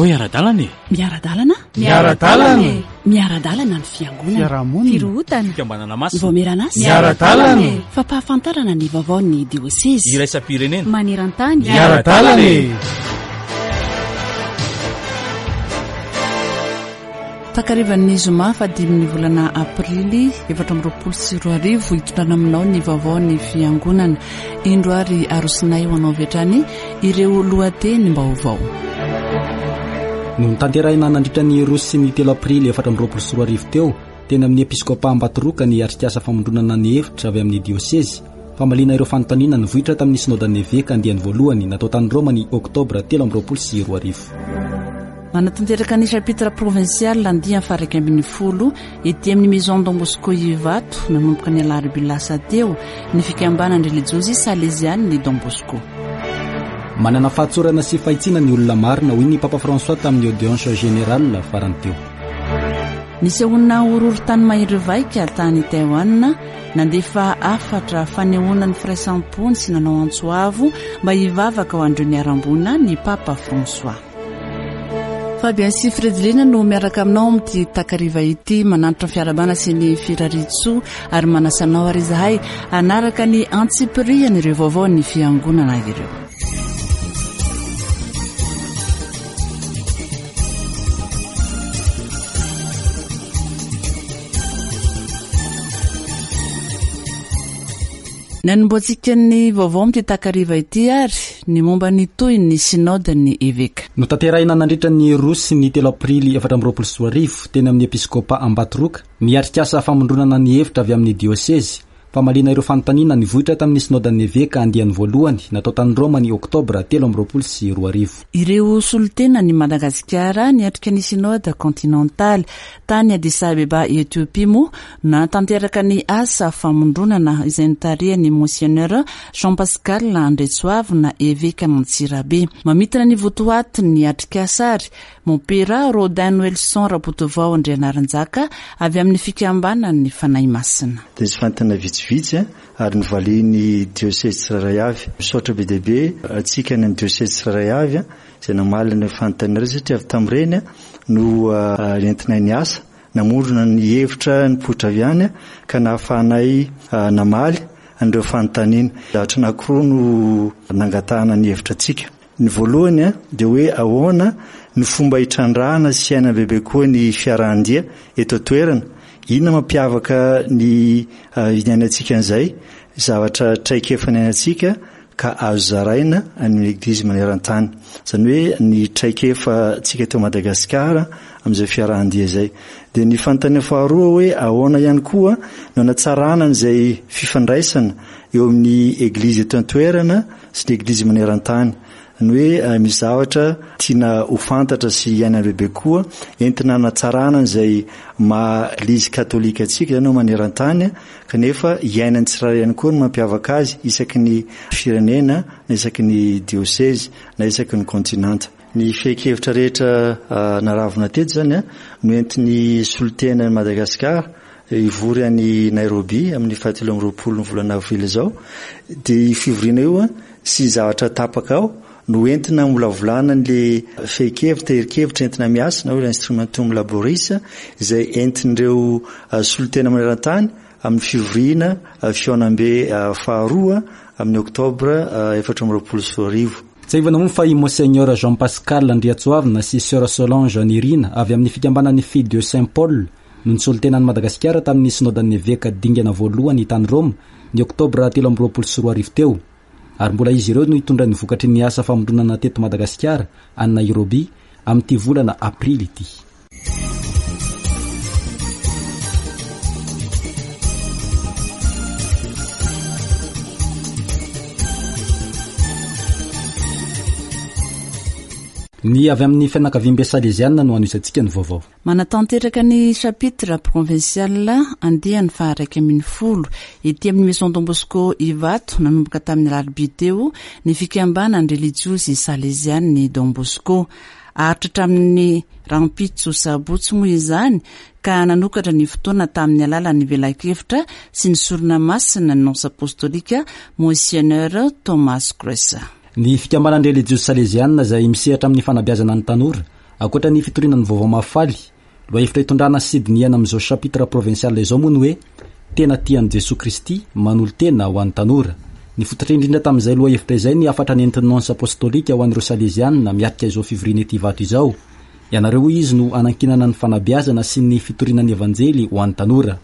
Andao hiara-dalana e! Miara-dalana? Miara-dalana e! Miara-dalana ny fiangonana. Fiarahamonina. Firohotana. Fikambanana masina. Vaomieran'asa. Miara-dalana e! Fampahafantarana ny vaovaon'ny diosezy. Iraisam-pirenena. Maneran-tany. Miara-dalana e! Takarivan'ny zoma fahadimin'ny volana aprily 2024 hitondrana aminao ny vaovaon'ny fiangonana. Indro ary arosonay ho anao avy hatrany ireo lohatenim-baovao. Notanterahina nandritra ny roa sy ny telo aprily 2024 teo, teny amin'ny Episkopa Ambatoroka ny atrikasa famondronana ny hevitra avy amin'ny diosezy, famaliana ireo fanontaniana nivoitra tamin'ny Synodan'ny Eveka andiany voalohany natao tany Roma ny oktobra 2023. Manatanteraka ny chapitre provincial andiany faha-11 ety amin'ny Maison Don Bosco Ivato nanomboka ny alarobia lasa teo ny fikambanan'ny relijiozy Salezian'ny Don Bosco. Manana fahatsorana sy fahitsiana ny olona marina, hoy ny Papa François tamin'ny audience générale farany teo. Nisehoana horohorontany mahery vaika tany Taiwan, nandefa hafatra fanehoana ny firaisam-pony sy nanao antso avo mba hivavaka ho an'ireo niharam-boina ny Papa François. Fabien sy Fredelina no miaraka aminao amin'ity takariva ity mananitra ny fiarahabana sy ny firariantsoa ary manasa anao ary izahay hanaraka ny antsipiriany ireo vaovaon'ny fiangonana ireo. Ny hanombohantsika ny vaovao amin'ity takariva ity ary ny momba ny tohin'ny Synoden'ny Eveka. Notanterahina nandritra ny roa sy ny telo aprily 2024 teny amin'ny Episkopa Ambatoroka ny atrikasa famondronana ny hevitra avy amin'ny diosezy, famaliana ireo fanontaniana nivoitra tamin'ny Synodan'ny Eveka andiany voalohany natao tany Roma ny oktobra 2023. Ireo solontenan'i Madagasikara niatrika ny Synode Kontinantaly tany Addis Abeba Ethiopie moa Nanatanteraka ny asa famondronana izay notarihan'ny Monseigneur Jean Pascal Andriatsoavina, Evekan'Antsirabe. Mamintina ny votoatin'ny atrikasa ary Mompera Rodin Noelson Rabotovao Andrianarinjaka avy amin'ny Fikambanan'ny Fanahy Masina. Dia nisy fanontaniana vitsivitsy ary novalian'ny diosezy tsirairay avy. Misaotra be dia be antsika any amin'ny diosezy tsirairay avy izay namaly an'ireo fanontaniana ireo satria avy tamin'ireny no nentinay niasa. Namorona ny hevitra nipoitra avy any ka nahafahanay namaly an'ireo fanontaniana. Zavatra anankiroa no nangatahana ny hevitra antsika. Ny voalohany dia hoe ahoana no fomba hitrandrahana sy hiainana bebe koa ny fiarahan-dia eto an-toerana? Inona mampiavaka ny niainantsika an'izay zavatra traikefa niainantsika ka azo zaraina any amin'ny Eglizy maneran-tany. Izany hoe ny traikefantsika eto Madagasikara amin'izay fiarahan-dia izay. Dia ny fanontaniana faharoa hoe ahoana ihany koa no hanatsarana an'izay fifandraisana eo amin'ny Eglizy eto an-toerana sy ny Eglizy maneran-tany. Ny hoe misy zavatra tiana ho fantatra sy hiainana bebe koa entina hanatsarana an'izay maha Eglizy katolika antsika izany maneran-tany kanefa iainan'ny tsirairay ihany koa ny mampiavaka azy isaky ny firenena na isaky ny diosezy na isaky ny kontinanta. Ny fehin-kevitra rehetra naravona teto izany no entin'ny solontena an'i Madagasikara hivory any Nairobi amin'ny fahatelo amby roapolo ny volana avrily izao. Dia io fivoriana io sy zavatra tapaka ao no entina hamolavolana an'ilay fehin-kevitra, tahirin-kevitra entina miasa na hoe instrumentum laboris izay entin'ireo solontena maneran-tany amin'ny fivoriana fihaonambe faharoa amin'ny oktobra 2024. Tsiahivina moa fa i Monseigneur Jean Pascal Andriatsoavina sy Soeur Solange Nirina avy amin'ny fikambanan'ny Filles de Saint Paul no nisolo tena an'i Madagasikara tamin'ny Synodan'ny Eveka dingana voalohany tany Roma ny oktobra 2023 teo. Ary mbola izy ireo no hitondra ny vokatry ny asa famondronana teto Madagasikara any Nairobi amin'ity volana aprily ity. Ny avy amin'ny fianakaviambe Saleziana no hanohizantsika ny vaovao. Manatanteraka ny chapitre provincial andiany faha-11 ety amin'ny Maison Don Bosco Ivato nanomboka tamin'ny alarobia teo ny fikambanan'ny relijiozy salezian'ny Don Bosco. Haharitra hatramin'ny rahampitso sabotsy moa izany ka nanokatra ny fotoana tamin'ny alalan'ny velakevitra sy ny sorona masina ny nonce apostolika Monseigneur Thomas Cruz. Ny fikambanan'ny relijiozy salezianina izay misehatra amin'ny fanabeazana ny tanora. Ankoatra ny fitoriana ny Vaovao Mahafaly, lohahevitra itondrana sy dinihana amin'izao chapitre provincial izao moa ny hoe Tena tia an'i Jesoa Kristy, manolo-tena ho an'ny tanora. Nifototra indrindra tamin'izay lohahevitra izay ny hafatra nentin'ny Nonce Apostolika ho an'ireo Salezianina miatrika izao fivoriana ety Ivato izao. Ianareo hoy izy no anankinana ny fanabeazana sy ny fitoriana ny Evanjely ho an'ny tanora.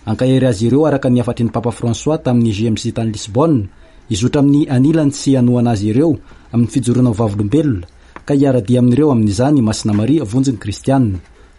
Hankahery azy ireo araka ny hafatry ny Papa François tamin'ny JMJ tany Lisbonne, hizotra amin'ny anilany sy hanohana azy ireo amin'ny fijoroana ho vavolombelona, ka hiara-dia amin'ireo amin'izany i Masina Maria vonjy ny Kristiana.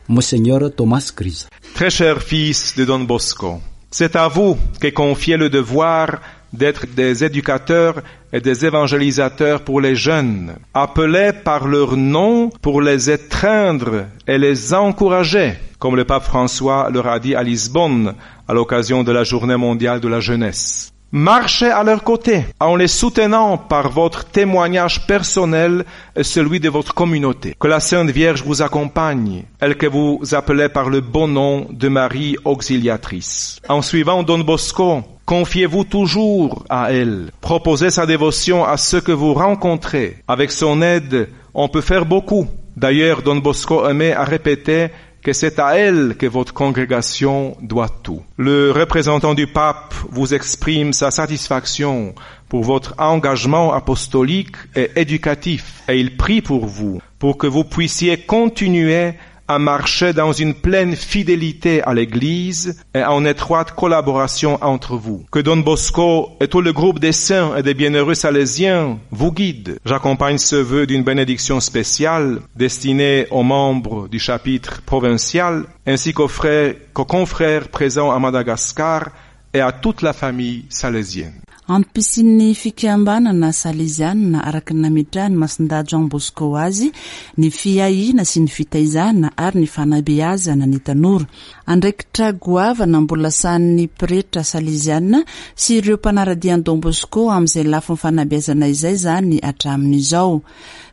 Monseigneur Thomas Grisa. Très cher fils de Don Bosco, c'est à vous qu'est confié le devoir d'être des éducateurs et des évangélisateurs pour les jeunes, appelés par leur nom pour les étreindre et les encourager, comme le pape François leur a dit à Lisbonne à l'occasion de la Journée mondiale de la jeunesse. Marchez à leur côté en les soutenant par votre témoignage personnel et celui de votre communauté. Que la Sainte Vierge vous accompagne, elle que vous appelez par le bon nom de Marie Auxiliatrice. En suivant Don Bosco, confiez-vous toujours à elle. Proposez sa dévotion à ceux que vous rencontrez. Avec son aide, on peut faire beaucoup. D'ailleurs, Don Bosco aimait à répéter que c'est à elle que votre congrégation doit tout. Le représentant du pape vous exprime sa satisfaction pour votre engagement apostolique et éducatif et il prie pour vous, pour que vous puissiez continuer à marcher dans une pleine fidélité à l'Église et en étroite collaboration entre vous. Que Don Bosco et tout le groupe des saints et des bienheureux salésiens vous guident. J'accompagne ce vœu d'une bénédiction spéciale destinée aux membres du chapitre provincial ainsi qu'aux frères, qu'aux confrères présents à Madagascar et à toute la famille salésienne. Antom-pisian'ny fikambanana Salezianina araka ny nametrahan'i Masindahy Jean Bosco azy ny fiahiana sy ny fitaizana ary ny fanabeazana ny tanora. Andraikitra goavana mbola sahanin'ny pretra Salezianina sy ireo mpanara-dia an'i Don Bosco amin'izay lafiny fanabeazana izay izany hatramin'izao.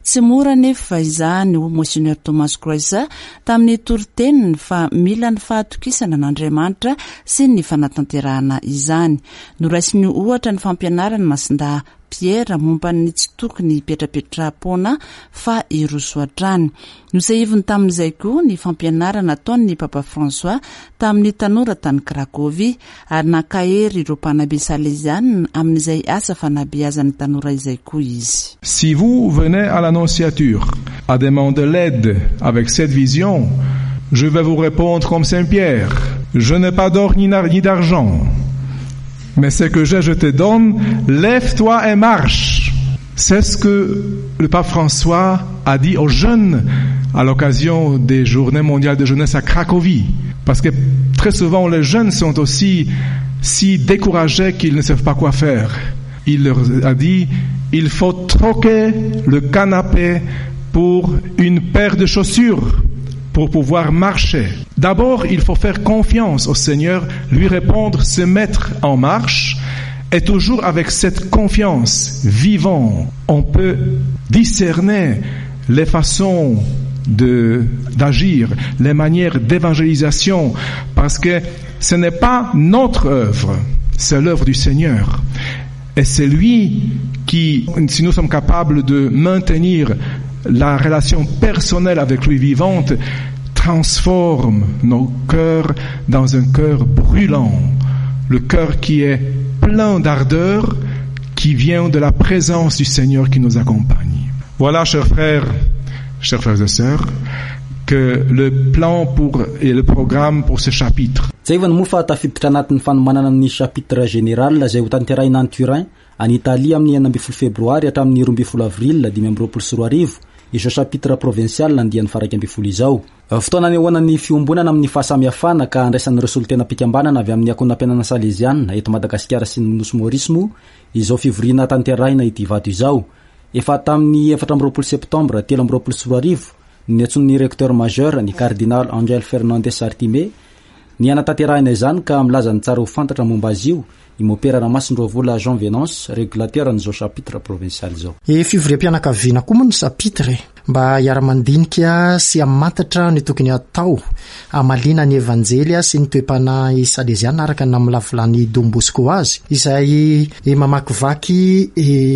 Tsy mora anefa izany, hoy Monseigneur Thomas Croiset tamin'ny toriteniny fa mila ny fahatokisana an'Andriamanitra sy ny fanatanterahana izany. Noraisiny ohatra ny fampianaran'i Masindahy Pierre momba ny tsy tokony hipetrapetraham-poana fa hiroso hatrany. Notsahiviny tamin'izay koa ny fampianarana nataon'ny Papa François tamin'ny tanora tany Cracovie ary nankahery ireo mpanabe salezianina amin'izay asa fanabeazan'ny tanora izay koa izy. Si vous venez à l'annonciature à demander l'aide avec cette vision, je vais vous répondre comme Saint Pierre, je n'ai pas d'or ni d'argent, mais ce que j'ai, je te donne, lève-toi et marche. C'est ce que le pape François a dit aux jeunes à l'occasion des Journées mondiales de jeunesse à Cracovie. Parce que très souvent, les jeunes sont aussi si découragés qu'ils ne savent pas quoi faire. Il leur a dit, il faut troquer le canapé pour une paire de chaussures pour pouvoir marcher. D'abord, il faut faire confiance au Seigneur, lui répondre, se mettre en marche, et toujours avec cette confiance vivant, on peut discerner les façons d'agir, les manières d'évangélisation, parce que ce n'est pas notre œuvre, c'est l'œuvre du Seigneur. Et c'est lui qui, si nous sommes capables de maintenir la relation personnelle avec lui vivante, transforme nos cœurs dans un cœur brûlant, le cœur qui est plein d'ardeur, qui vient de la présence du Seigneur qui nous accompagne. Voilà, chers frères, chers frères et sœurs, que le plan pour et le programme pour ce chapitre. Tsiahivina moa fa tafiditra anatin'ny fanomanana ny chapitre général izay hotanterahina any Turin, any Italie amin'ny 16 febroary hatramin'ny 12 avril 2025 izao chapitre provincial andiany faha-11 izao. Fotoana anehoana ny fiombonana amin'ny fahasamihafana ka andraisan'ireo solontenam-pikambanana avy amin'ny Ankohonam-piainana Saleziana eto Madagasikara sy ny Nosy Maorisy moa izao fivoriana tanterahina ity Ivato izao. Efa tamin'ny 24 septambra 2023 no niantsoan'ny Recteur Majeur, ny Kardinaly Angel Fernandez Artime, ny hanatanterahina izany ka milaza ny tsara ho fantatra momba azy io i Mopera Ramasindroavola Jean Venance, régulateur an'izao chapitre provincial izao. E fivoriam-pianakaviana koa moa ny chapitre e! mba hiara-mandinika sy hamantatra ny tokony hatao hamaliana ny Evanjely sy ny toe-panahy saleziana araka ny namolavolan'i Don Bosco azy, izay mamakivaky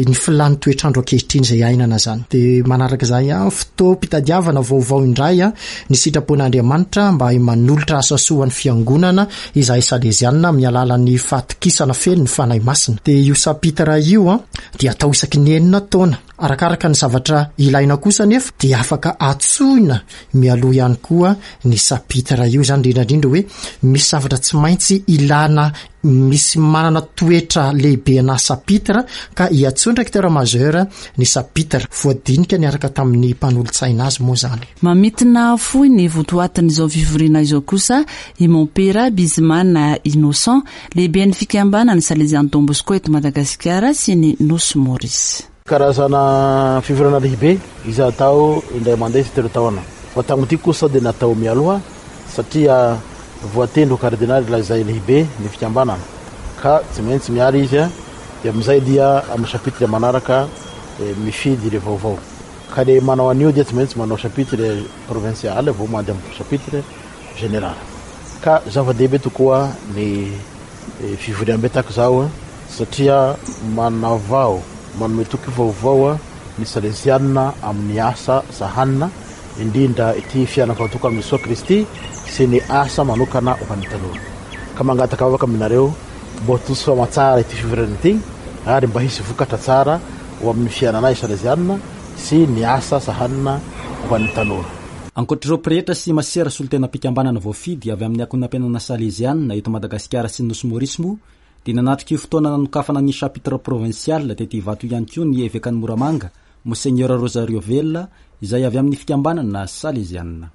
ny filàn'ny toetr'andro ankehitriny izay iainana izany. Dia manaraka izay, fotoam-pitadiavana vaovao indray ny sitrapon'Andriamanitra mba manolotra asa soa ho an'ny Fiangonana izahay Saleziana amin'ny alalan'ny fahatokisana feno ny Fanahy Masina. Dia io chapitre io dia atao isaky ny enina taona. Arakaraka ny zavatra ilaina kosa anefa dia afaka antsoina mialoha ihany koa ny chapitre io izany, indrindra indrindra hoe misy zavatra tsy maintsy ilana misy manana toetra lehibe ana chapitre ka iantsoin'ny recteur majeur ny chapitre. Voadinika niaraka tamin'ny mpanolotsaina azy moa izany. Mamintina fohy ny votoatin'izao fivoriana izao kosa i Mompera Bizimana Innocent, lehiben'ny fikambanan'ny Salesian'i Don Bosco eto Madagasikara sy ny Nosy Maurice. Karazana fivoriana lehibe izay atao indray mandeha isatelo taona. Fa tamin'ity kosa dia natao mialoha satria voatendry ho kardinaly ilay izay lehibe ny fikambanana ka tsy maintsy miala izy dia amin'izay dia amin'ny chapitre manaraka mifidy ireo vaovao. Ka le manao an'io dia tsy maintsy manao chapitre provincial vao mandeha amin'ny chapitre général. Ka zava-dehibe tokoa ny fivoriambe tahaka izao satria manavao, manome toky vaovao ny Salesianina amin'ny asa sahanina, indrindra ity fiainana fahatoka amin'i Jesoa Kristy sy ny asa manokana ho an'ny tanora. Ka mangataka vavaka aminareo mba ho tontosa soamantsara ity fivoriana ity ary mba hisy vokatra tsara ho amin'ny fiainanay Salesianina sy ny asa sahanina ho an'ny tanora. Ankoatr'ireo pretra sy masera solontenam-pikambanana voafidy avy amin'ny ankohonam-piainana Saleziana eto Madagasikara sy ny Nosy Maurice moa dia nanatrika io fotoana nanokafana ny Chapitre Provincial tety Ivato ihany koa ny Evekan'i Moramanga, Monseigneur Rosario Vela, izay avy amin'ny fikambanana Saleziana.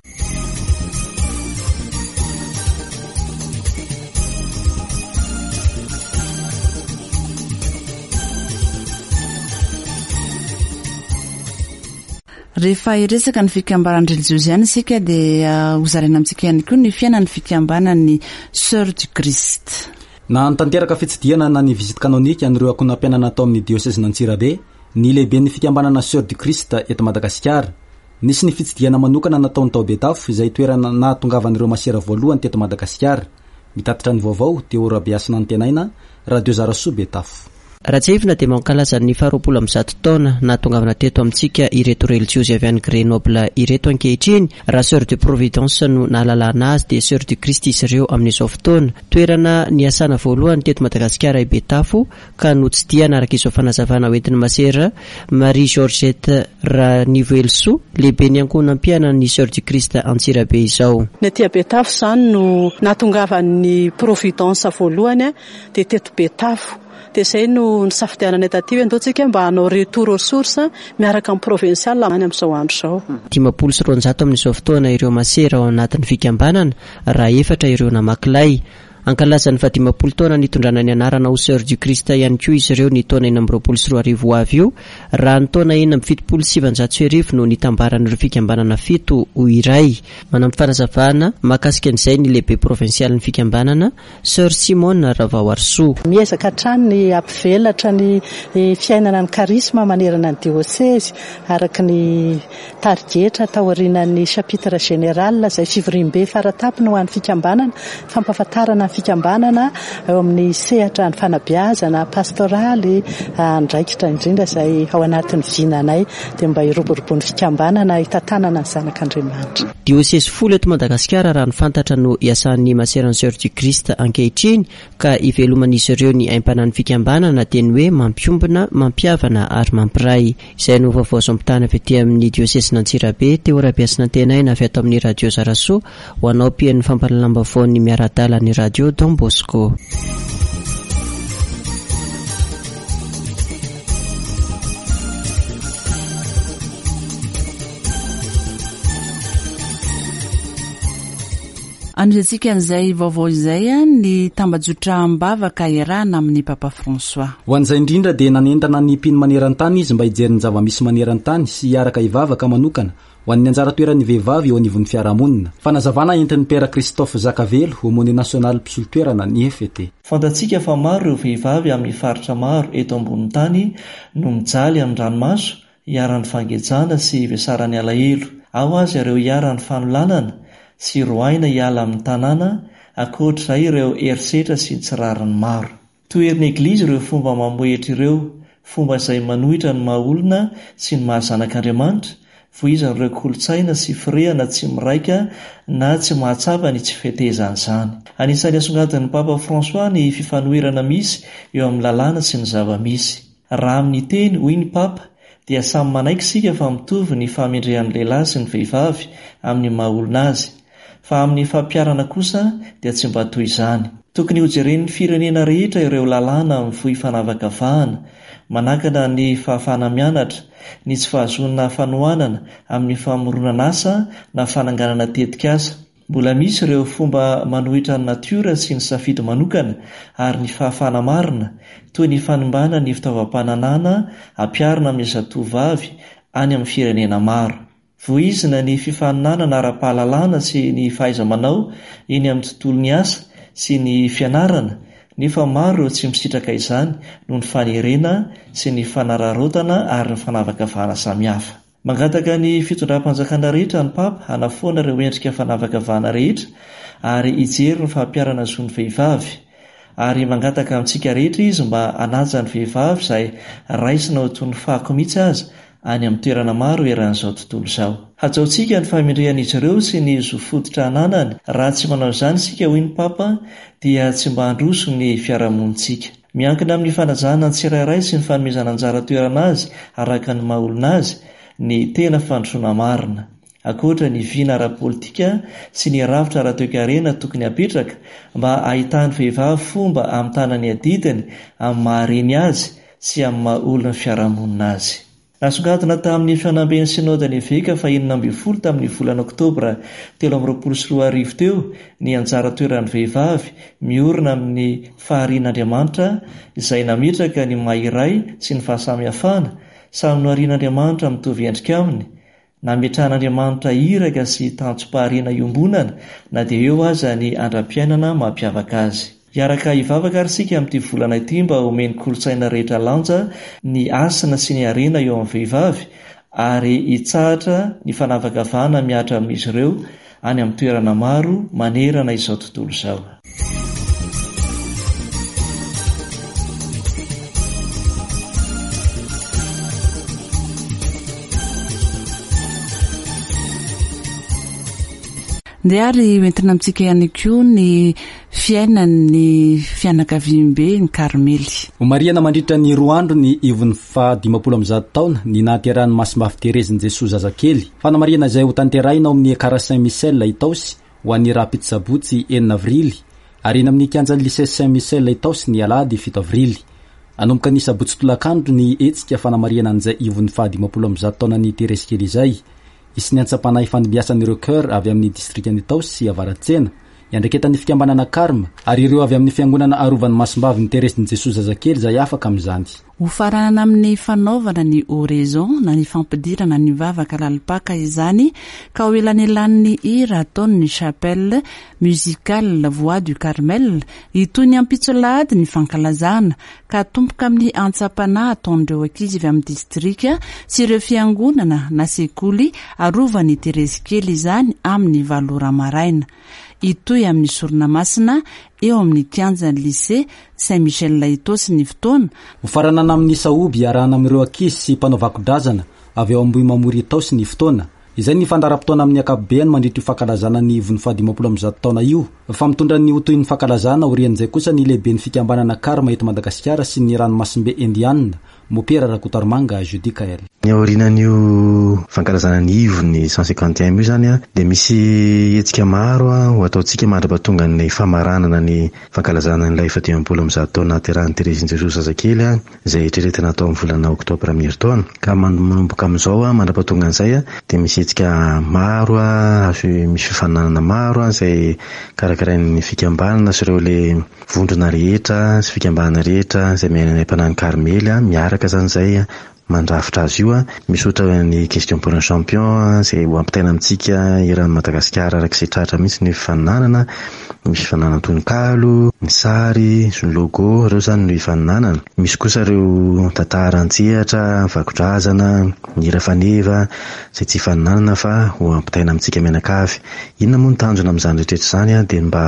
Rehefa hiresaka ny fikambaran'ny relijiozy ihany isika dia hozaraina amintsika ihany koa ny fiainan'ny fikambanan'ny Sœurs du Christ. Nanatanteraka fitsidihana na ny visite canonique an'ireo ankohonam-piainana tao amin'ny diosezin'Antsirabe ny lehiben'ny fikambanana Sœurs du Christ eto Madagasikara. Nisy ny fitsidihana manokana nataony tao Betafo izay toerana nahatongavan'ireo masera voalohany teto Madagasikara. Mitatitra ny vaovao, Théo Rabehasinantenaina, Radio Zarasoa Betafo. Raha tsiahivina dia mankalaza ny faha 120 taona nahatongavana teto amintsika ireto relijiozy avy any Grenoble ireto ankehitriny. Raha Soeur de Providence no nahalalana azy dia Soeur du Christ izy ireo amin'izao fotoana. Toerana niasana voalohany teto Madagasikara i Betafo ka notsidihana araka izao fanazavana hoentin'i Masera Marie Georgette Ranivoelisoa, lehiben'ny ankohonam-piainan'ny Soeur du Christ Antsirabe izao. Ny aty Betafo izany no nahatongavan'ny Providence voalohany dia teto Betafo. Dia izay no nisafidiananay taty hoe andao tsika mba hanao retour aux sources miaraka amin'ny provincial any amin'izao andro izao. 250 amin'izao fotoana ireo masera ao anatin'ny fikambanana raha efatra ireo namaky lay. Hankalaza ny fahadimampolo taona nitondrana ny anarana ho Soeurs du Christ ihany koa izy ireo ny taona 2026 ho avy io, raha ny taona 1976 no nitambaran'ireo fikambanana fito ho iray. Manampy fanazavana mahakasika an'izay ny lehibe provinsialin'ny fikambanana, Soeur Simone Ravaoarisoa. Miezaka hatrany ny hampivelatra ny fiainana ny karisma manerana ny diosezy araka ny Tarigetra taorianan'ny chapitre général izay fivoriambe faratampony ho an'ny fikambanana, fampahafantarana ny fikambanana eo amin'ny sehatra ny fanabeazana pastoraly, andraikitra indrindra izay ao anatin'ny vinanay dia mba hiroboroboan'ny fikambanana hitantanana ny zanak'Andriamanitra. Diosezy folo eto Madagasikara raha ny fantatra no iasan'ny Maseran'ny Soeurs du Christ ankehitriny ka iveloman'izy ireo ny aim-panahin'ny fikambanana dia ny hoe mampiombona, mampihavana ary mampiray. Izay no vaovao azo ampitahana avy aty amin'ny diosezin'Antsirabe, Théo Rabehasinantenaina avy ato amin'ny Radio Zarasoa, ho anao mpihaino ny fampahalalam-baovaon'ny miara-adala ny Radio Don Bosco. Anohizantsika an'izay vaovao izay ny tambajotra am-bavaka iarahana amin'i Papa François. Ho an'izay indrindra dia nanentana ny mpino maneran-tany izy mba hijery ny zava-misy maneran-tany sy hiaraka hivavaka manokana ho an'ny anjara toeran'ny vehivavy eo anivon'ny fiarahamonina. Fanazavana entin'ny Père Christophe Zakavelo, Aumônier National mpisolo toerana ny FET. Fantatsika fa maro ireo vehivavy amin'ny faritra maro eto ambonin'ny tany no mijaly amin'ny ranomaso. iharan'ny fangejana sy ivesaran'ny alahelo. Ao aza ireo iharan'ny fanolanana sy roahina hiala amin'ny tanàna, ankoatr'izay ireo herisetra sy ny tsy rariny maro. Toherin'ny Eglizy ireo fomba mamohehitra ireo, fomba izay manohitra ny maha-olona sy ny maha-zanak'Andriamanitra, voizan'ireo kolontsaina sy firehana tsy miraika na tsy mahatsapa ny tsy fetezan'izany. Anisan'ny asongadin'ny Papa François ny fifanoherana misy eo amin'ny lalàna sy ny zava-misy. Raha amin'ny teny, hoy ny Papa, dia samy manaiky isika fa mitovy ny fahamendrehan'ny lehilahy sy ny vehivavy amin'ny maha-olona azy. Fa amin'ny fampiharana kosa dia tsy mba toy izany. Tokony hojeren'ny firenena rehetra ireo lalàna mivoy fanavakavahana, manakana ny fahafahana mianatra, ny tsy fahazoana fanohanana amin'ny famoronana asa na fananganana tetikasa. Mbola misy ireo fomba manohitra ny natiora sy ny safidy manokana ary ny fahafahana marina, toy ny fanimbana ny fitaovam-pananahana ampiharina amin'ny zatovovavy any amin'ny firenena maro. Voizina ny fifaninanana ara-pahalalana sy ny fahaiza-manao eny amin'ny tontolon'ny asa sy ny fianarana, nefa maro ireo tsy misitraka izany noho ny fanerena sy ny fanararaotana ary ny fanavakavahana samihafa. Mangataka ny fitondram-panjakana rehetra ny Papa hanafoana ireo endrika fanavakavahana rehetra ary hijery ny fampiharana zon'ny vehivavy. Ary mangataka amintsika rehetra izy mba hanaja ny vehivavy izay raisina ho toy ny fako mihitsy aza any amin'ny toerana maro eran'izao tontolo izao. Hajaontsika ny fahamendrehan'izy ireo sy ny zo fototra ananany, raha tsy manao izany isika, hoy ny Papa, dia tsy mba handroso ny fiarahamonintsika. Miankina amin'ny fanajana ny tsirairay sy ny fanomezana anjara toerana azy araka ny maha olona azy ny tena fandrosoana marina. Ankoatra ny vina ara-politika sy ny rafitra ara-toekarena tokony hapetraka mba hahitan'ny vehivavy fomba hamitana ny adidiny amin'ny maha reny azy sy amin'ny maha olon'ny fiarahamonina azy. Nasongadina tamin'ny fihaonamben'ny Synodan'ny Eveka fahenina ambin'ny folo tamin'ny volana oktobra 2023 teo ny anjara toeran'ny vehivavy miorina amin'ny faharian'Andriamanitra izay nametraka ny maha iray sy ny fahasamihafana, samy noharian'Andriamanitra mitovy endrika aminy, Nametrahan'Andriamanitra iraka sy tanjom-pahariana iombonana na dia eo aza ny andram-piainana mampiavaka azy. Hiaraka hivavaka ary isika amin'ity volana ity mba homen'ny kolontsaina rehetra lanja ny hasina sy ny harena eo amin'ny vehivavy ary hitsahatra ny fanavakavahana mihatra amin'izy ireo any amin'ny toerana maro manerana izao tontolo izao. Ndeha ary hoentina amintsika ihany koa ny fiainan'ny fianakaviambe ny Karmely. Homarihana mandritra ny roa andro ny ivon'ny faha 150 taona ny nahaterahan'i Masimbavy Terezin'i Jesoa zazakely. Fanamarihana izay hotanterahina ao amin'ny Ekara Saint Michel Itaosy ho an'ny rahampitso sabotsy enina avrily ary eny amin'ny kianjan'ny Lycée Saint Michel Itaosy ny alahady fito avrily. Hanomboka ny sabotsy tolakandro ny hetsika fanamarihana an'izay ivon'ny faha 150 taonan'i Terezy kely izay. Hisy ny antsam-panahy fandimbiasan'ireo Chœur avy amin'ny distrikan'Itaosy sy Avaratsena, iandraiketan'ny fikambanana Carme, ary ireo avy amin'ny fiangonana arovan'ny Masimbavin'i Terezin'i Jesoa Zazakely izay afaka amin'izany. Hofaranana amin'ny fanaovana ny oraison na ny fampidirana ny vavaka lalim-paka izany ka ho elanelanin'ny hira ataon'ny Chapelle Musicale Voix du Carmel. Hitohy ny ampitso alahady ny fankalazana ka hatomboka amin'ny antsam-panahy ataon'ireo ankizy avy amin'ny distrika sy ireo fiangonana na sekoly arovan'i Terezy kely izany amin'ny valo ora maraina. Hitohy amin'ny sorona masina eo amin'ny kianjan'ny Lycée Saint Michel Itaosy ny fotoana. Hofaranana amin'ny sahoby iarahana amin'ireo ankizy sy mpanao vakodrazana avy ao Ambohimamory Itaosy ny fotoana. Izay ny fandaharam-potoana amin'ny ankapobeany mandritra io fankalazana ny ivon'ny faha-150 taona io. Fa mitondra ny ho tohin'ny fankalazana aorian'izay kosa ny lehiben'ny fikambanana Karma eto Madagasikara sy ny ranomasimbe Indiana, Mopera Rakotoarimanga Judicaël. Ny aorianan'io fankalazana ny ivon'ny 151 io izany dia misy hetsika maro ho ataontsika mandra-pahatongan'ny famaranana ny fankalazana an'ilay faha-150 taona nahaterahan'i Terezin'i Jesoa zazakely izay eritreretina hatao amin'ny volana oktobra amin'ny herintaona. Ka manomboka amin'izao mandra-pahatongan'izay dia misy hetsika maro, misy fifaninanana maro izay karakarain'ny fikambanana sy ireo ilay vondrona rehetra sy fikambanana rehetra izay miaina any am-panahin'i Karmely miaraka izany izay. mandrafitra azy io. Misy ohatra ny question pour un champion izay ho ampitaina amintsika eran'i Madagasikara araka izay tratra mihitsy ny fifaninanana. Misy fifaninanana tononkalo, ny sary, sy ny logo, ireo izany no hifaninanana. Misy kosa ireo tantara an-tsehatra, ny vakodrazana, ny hira faneva izay tsy hifaninanana fa ho ampitaina amintsika mianakavy. Inona moa ny tanjona amin'izany rehetra rehetra izany dia ny mba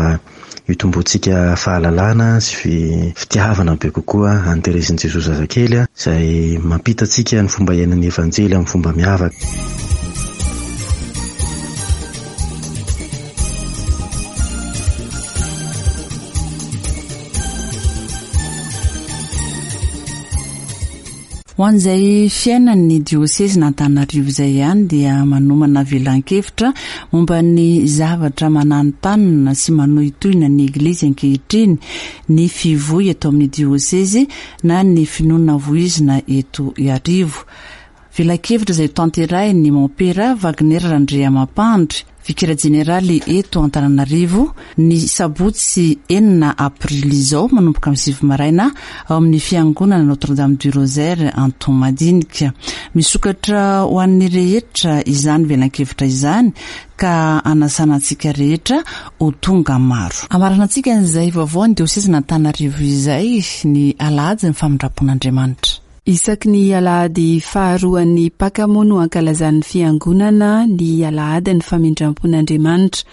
hitomboantsika fahalalana sy fitiavana be kokoa an'i Terezin'i Jesoa Zazakely izay mampita antsika ny fomba iainan'ny Evanjely amin'ny fomba miavaka. Ho an'izay fiainan'ny diosezin'Antananarivo izay ihany dia manomana velan-kevitra momba ny zavatra mananontanona sy manohitohina ny Eglizy ankehitriny ny fivoy eto amin'ny diosezy na ny finoana voizina eto Iarivo. Velakevitra izay hotanterahin'ny Mompera Wagner Randriamampandry, Vikera Jeneraly eto Antananarivo, ny sabotsy enina aprily izao manomboka amin'ny sivy maraina ao amin'ny Fiangonana Notre Dame du Rosaire Antohomadinika. Misokatra ho an'ny rehetra izany velankevitra izany ka anasana antsika rehetra ho tonga maro. Hamaranantsika an'izay vaovao ny diosezin'Antananarivo izay ny alahadin'ny famindram-pon'Andriamanitra. Isaky ny alahady faharoan'ny Paka moa no ankalazan'ny Fiangonana ny alahadin'ny famindram-pon'Andriamanitra,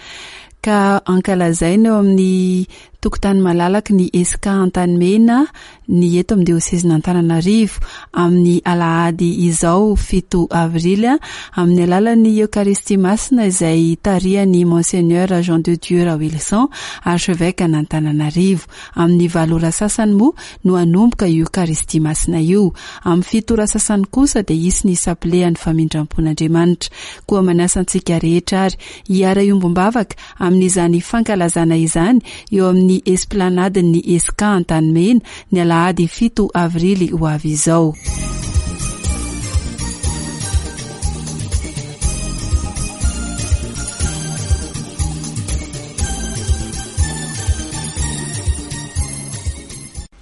ka ankalazaina eo amin'ny tokotany malalaky ny Esca Antanimena ny eto amin'ny diosezin'Antananarivo amin'ny alahady izao fito avrily amin'ny alalan'ny Eokaristia Masina izay tarihan'i Monseigneur Jean de Dieu Raoilson, Archevêque an'Antananarivo. Amin'ny valo ora sasany moa no hanomboka io Eucharistie Masina io. Amin'ny fito ora sasany kosa dia hisy ny sapile an'ny famindram-pon'Andriamanitra. Koa manasa antsika rehetra ary hiara-hiombom-bavaka amin'izany fankalazana izany eo amin'ny Esplanade-n'ny Esca Antanimena ny alahady fito avrily ho avy izao.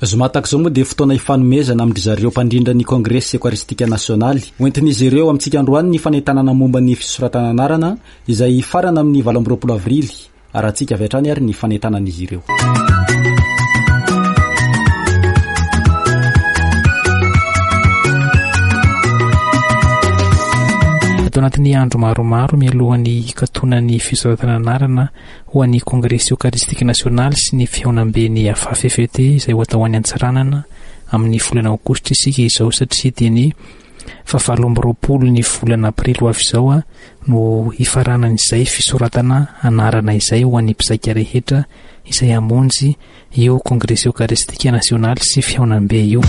Zoma tahaka izao moa dia fotoana hifanomezana amin-dry zareo mpandrindra ny Kongresy Eokaristika Nasionaly. Hoentin'izy ireo amintsika androany ny fanentanana momba ny fisoratana anarana izay hifarana amin'ny 28 avrily. Arahantsika avy hatrany ary ny fanentanan'izy ireo. Ato anatin'ny andro maromaro mialohan'ny hikatonan'ny fisoratana anarana ho an'ny Kongresy Eokaristika Nasionaly sy ny Fihaonamben'ny AFAFFT izay ho atao any Antsiranana amin'ny volana Aogositra isika izao satria dia ny fahavalo amby 20 ny volana Aprily ho avy izao no hifaranan'izay fisoratana anarana izay ho an'ny mpizaika rehetra izay hamonjy io Kongresy Eokaristika Nasionaly sy Fihaonambe io.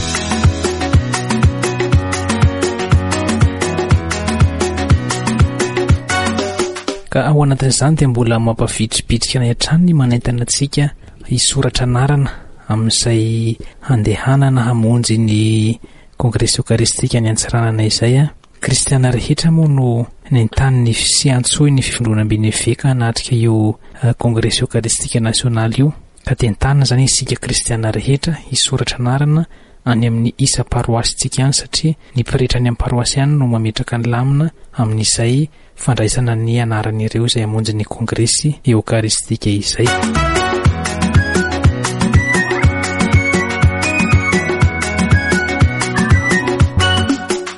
Ka ao anatin'izany dia mbola mampavitribitrika anay hatrany ny manentana antsika hisoratra anarana amin'izay handehanana hamonjy ny Kongresy Eokaristika any Antsiranana izay. Kristiana rehetra moa no nentaniny sy antsoiny ny fivondronamben'ny eveka hanatrika io Kongresy Eokaristika Nasionaly io. Ka dia entanina izany isika kristiana rehetra hisoratra anarana any amin'ny isam-paroasintsika any satria ny pretra any amin'ny paroasy any no mametraka ny lamina amin'izay fandraisana ny anaran'ireo izay hamonjy ny kongresy eokaristika izay.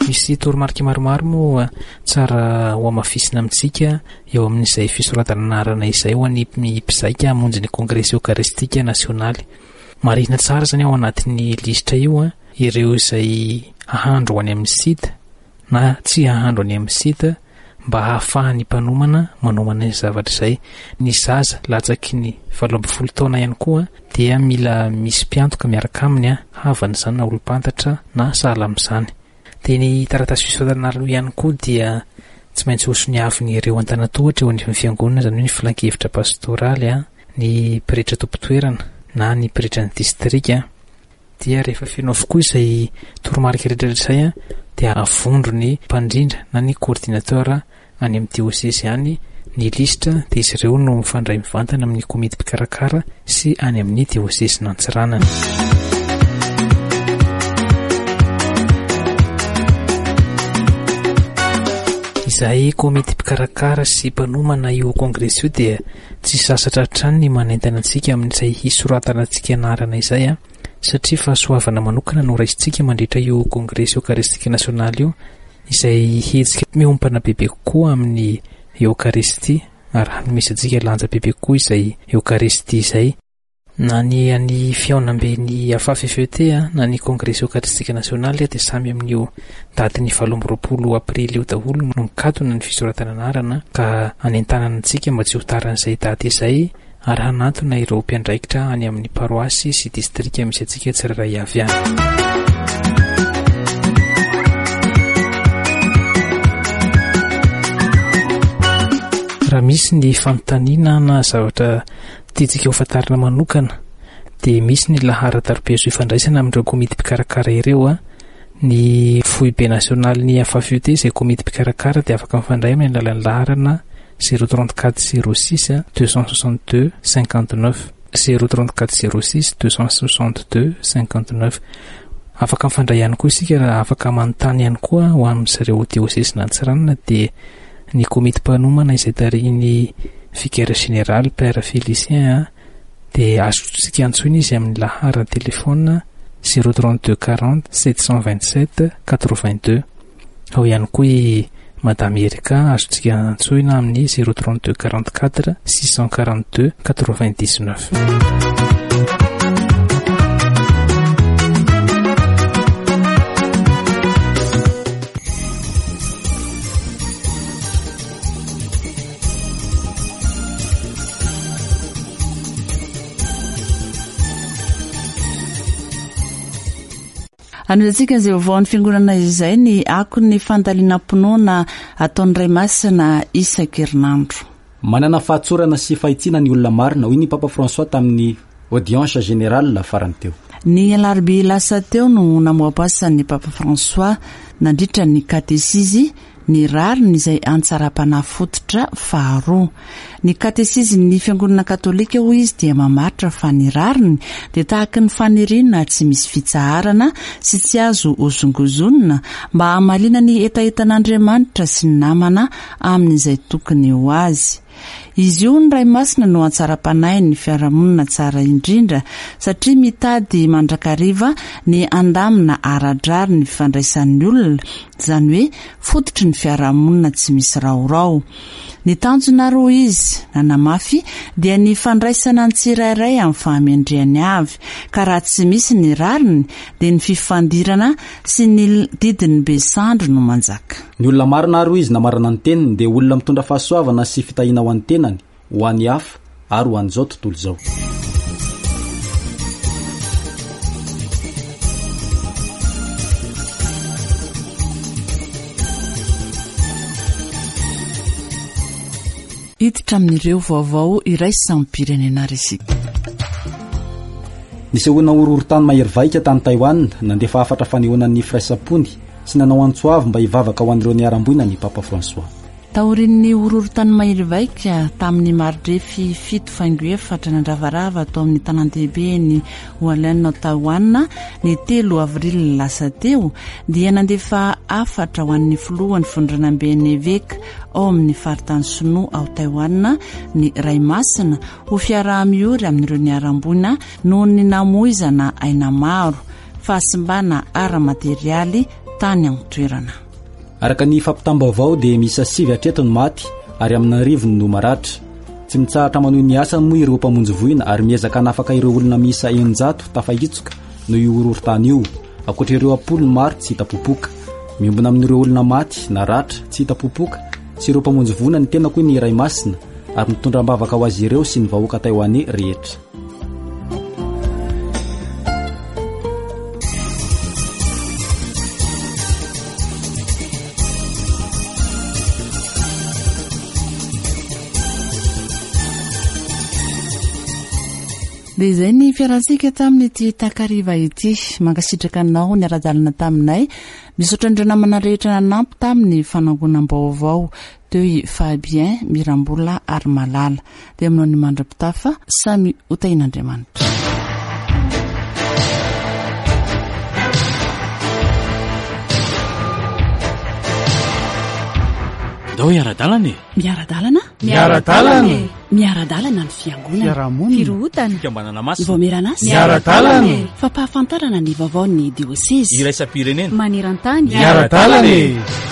Misy toromarika maromaro moa tsara hohamafisina amintsika eo amin'izay fisoratana anarana izay ho an'ny mpizaika hamonjy ny Kongresy Eokaristika Nasionaly. Marihina tsara izany ao anatin'ny lisitra io ireo izay hahandro any amin'ny site na tsy hahandro any amin'ny site mba hahafahan'ny mpanomana manomana izay zavatra izay. Ny zaza latsaky ny 18 taona ihany koa dia mila misy mpiantoka miaraka aminy, havana izany na olom-pantatra na sahala amin'izany. Dia ny taratasy fisoratana aloha ihany koa dia tsy maintsy hosoniavin'ireo antanatohatra eo anivon'ny fiangonana, izany hoe ny filankevitra pastoraly, ny pretra tompon-toerana na ny pretran'ny distrika. Dia rehefa feno avokoa izay toromarika rehetra rehetra izay dia avondro ny mpandrindra na ny coordinateur any amin'ny diosesy any ny lisitra dia izy ireo no mifandray mivantana amin'ny komity mpikarakara sy any amin'ny diosesin'Antsiranana. Izahay komity mpikarakara sy mpanomana io kongresy io dia tsy sasatra hatrany ny manentana antsika amin'izay hisoratana antsika anarana izay satria fahasoavana manokana no raisintsika mandritra io kongresy eokaristika nasionaly io izay hetsika miompana bebe kokoa amin'ny eokaristia ary hanomezantsika lanja bebe kokoa izay eokaristia izay. Na ny an'ny fihaonamben'ny AFAF-FET na ny Kongresy Eokaristika Nasionaly dia samy amin'io datin'ny 28 aprily io daholo no mikatona ny fisoratana anarana ka anentanana antsika mba tsy ho taran'izay daty izay ary hanantona ireo mpiandraikitra any amin'ny paroasy sy distrika misy antsika tsirairay avy any. Raha misy ny fanontaniana na zavatra tiantsika ho fantarina manokana dia misy ny laharan-taroby azo ifandraisana amin'ireo komity mpikarakara ireo. Ny foibe nasionalin'ny FAFUT izay komity mpikarakara dia afaka mifandray amin'ny alalan'ny laharana 034 06 262 59 034 06 262 59 Afaka mifandray ihany koa isika raha afaka manontany ihany koa ho amin'izareo diosezin'Antsiranana dia Ny komity mpanomana izay tarihin'ny Vicaire Général Père Félicien dia azontsika antsoina izy amin'ny laharan-telefaonina 032 40 727 82. Ao ihany koa i Madame Erika azontsika antsoina amin'ny 032 44 642 99. Anohizantsika izay vaovaon'ny fiangonana izay ny akon'ny fandalinam-pinoana ataon'ny Ray Masina isan-kerinandro. Manana fahatsorana sy fahitsiana ny olona marina, hoy ny Papa François tamin'ny Audience générale farany teo. Ny alarobia lasa teo no namoabasan'ny Papa François nandritra ny katesizy ny rariny izay antsaram-panahy fototra faharoa. Ny katesizin'ny Fiangonana Katolika hoy izy dia mamaritra fa ny rariny dia tahaky ny faniriana tsy misy fitsaharana sy tsy azo hozongozonina mba hamaliana ny hetahetan'Andriamanitra sy ny namana amin'izay tokony ho azy. Izy io ny Ray Masina no hatsaram-panahin'ny fiarahamonina tsara indrindra satria mitady mandrakariva ny handamina ara-drariny ny fifandraisan'ny olona, izany hoe fototry ny fiarahamonina tsy misy raorao. Ny tanjona ary hoy izy, nanamafy, dia ny fandraisana ny tsirairay amin'ny fahamendrehany avy, ka raha tsy misy ny rariny dia ny fifandirana sy ny didin'ny be sandry no manjaka. Ny olona marina ary hoy izy namarana ny teniny dia olona mitondra fahasoavana sy fitahiana ho an'ny tenany, ho an'ny hafa ary ho an'izao tontolo izao. Hiditra amin'ireo vaovao iraisam-pirenena ary isika. Nisehoana horohorontany mahery vaika tany Taiwan, nandefa hafatra fanehoana ny firaisam-pony sy nanao antso avo mba hivavaka ho an'ireo niharam-boina ny Papa François. Taorian'ny horohorontany mahery vaika tamin'ny maridrefy 7.4 nandravarava tao amin'ny tanàn-dehiben'i Hualien ao Taiwan ny 3 avril lasa teo, dia nandefa hafatra ho an'ny filohan'ny Fondronamben'ny Eveka ao amin'ny faritany Sinoa ao Taiwan ny Ray Masina ho fiaraha-miory amin'ireo niharam-boina noho ny namoizana aina maro, fahasimbana ara-materialy tany an-toerana. Araka ny fampitam-baovao dia miisa sivy hatreto ny maty ary amin'arivony no maratra. Tsy mitsahatra manohy ny asany moa ireo mpamonjy voina ary miezaka hanafaka ireo olona miisa 600 tafahitsoka noho io horohorontany io, ankoatra ireo am-polony maro tsy hita popoka. Miombona amin'ireo olona maty, naratra, tsy hita popoka sy ireo mpamonjy voina ny tenako hoy ny Ray Masina ary mitondra am-bavaka ho azy ireo sy ny vahoaka Taiwanais rehetra. Dia izay ny fiarantsika tamin'ity takariva ity. Mankasitraka anao niara-dalana taminay. Misaotra an'ireo namana rehetra nanampy tamin'ny fanangonam-baovao. Teo i Fabien, Mirambola ary Malala. Dia aminao ny mandra-pitafa, samy ho tahian'Andriamanitra. Andao hiara-dalana e! Miara-dalana? Miara-dalana e! Miara-dalana ny fiangonana. Fiarahamonina. Firohotana. Fikambanana masina. Vaomieran'asa. Miara-dalana e! Fampahafantarana ny vaovaon'ny diosezy. Iraisam-pirenena. Maneran-tany. Miara-dalana e!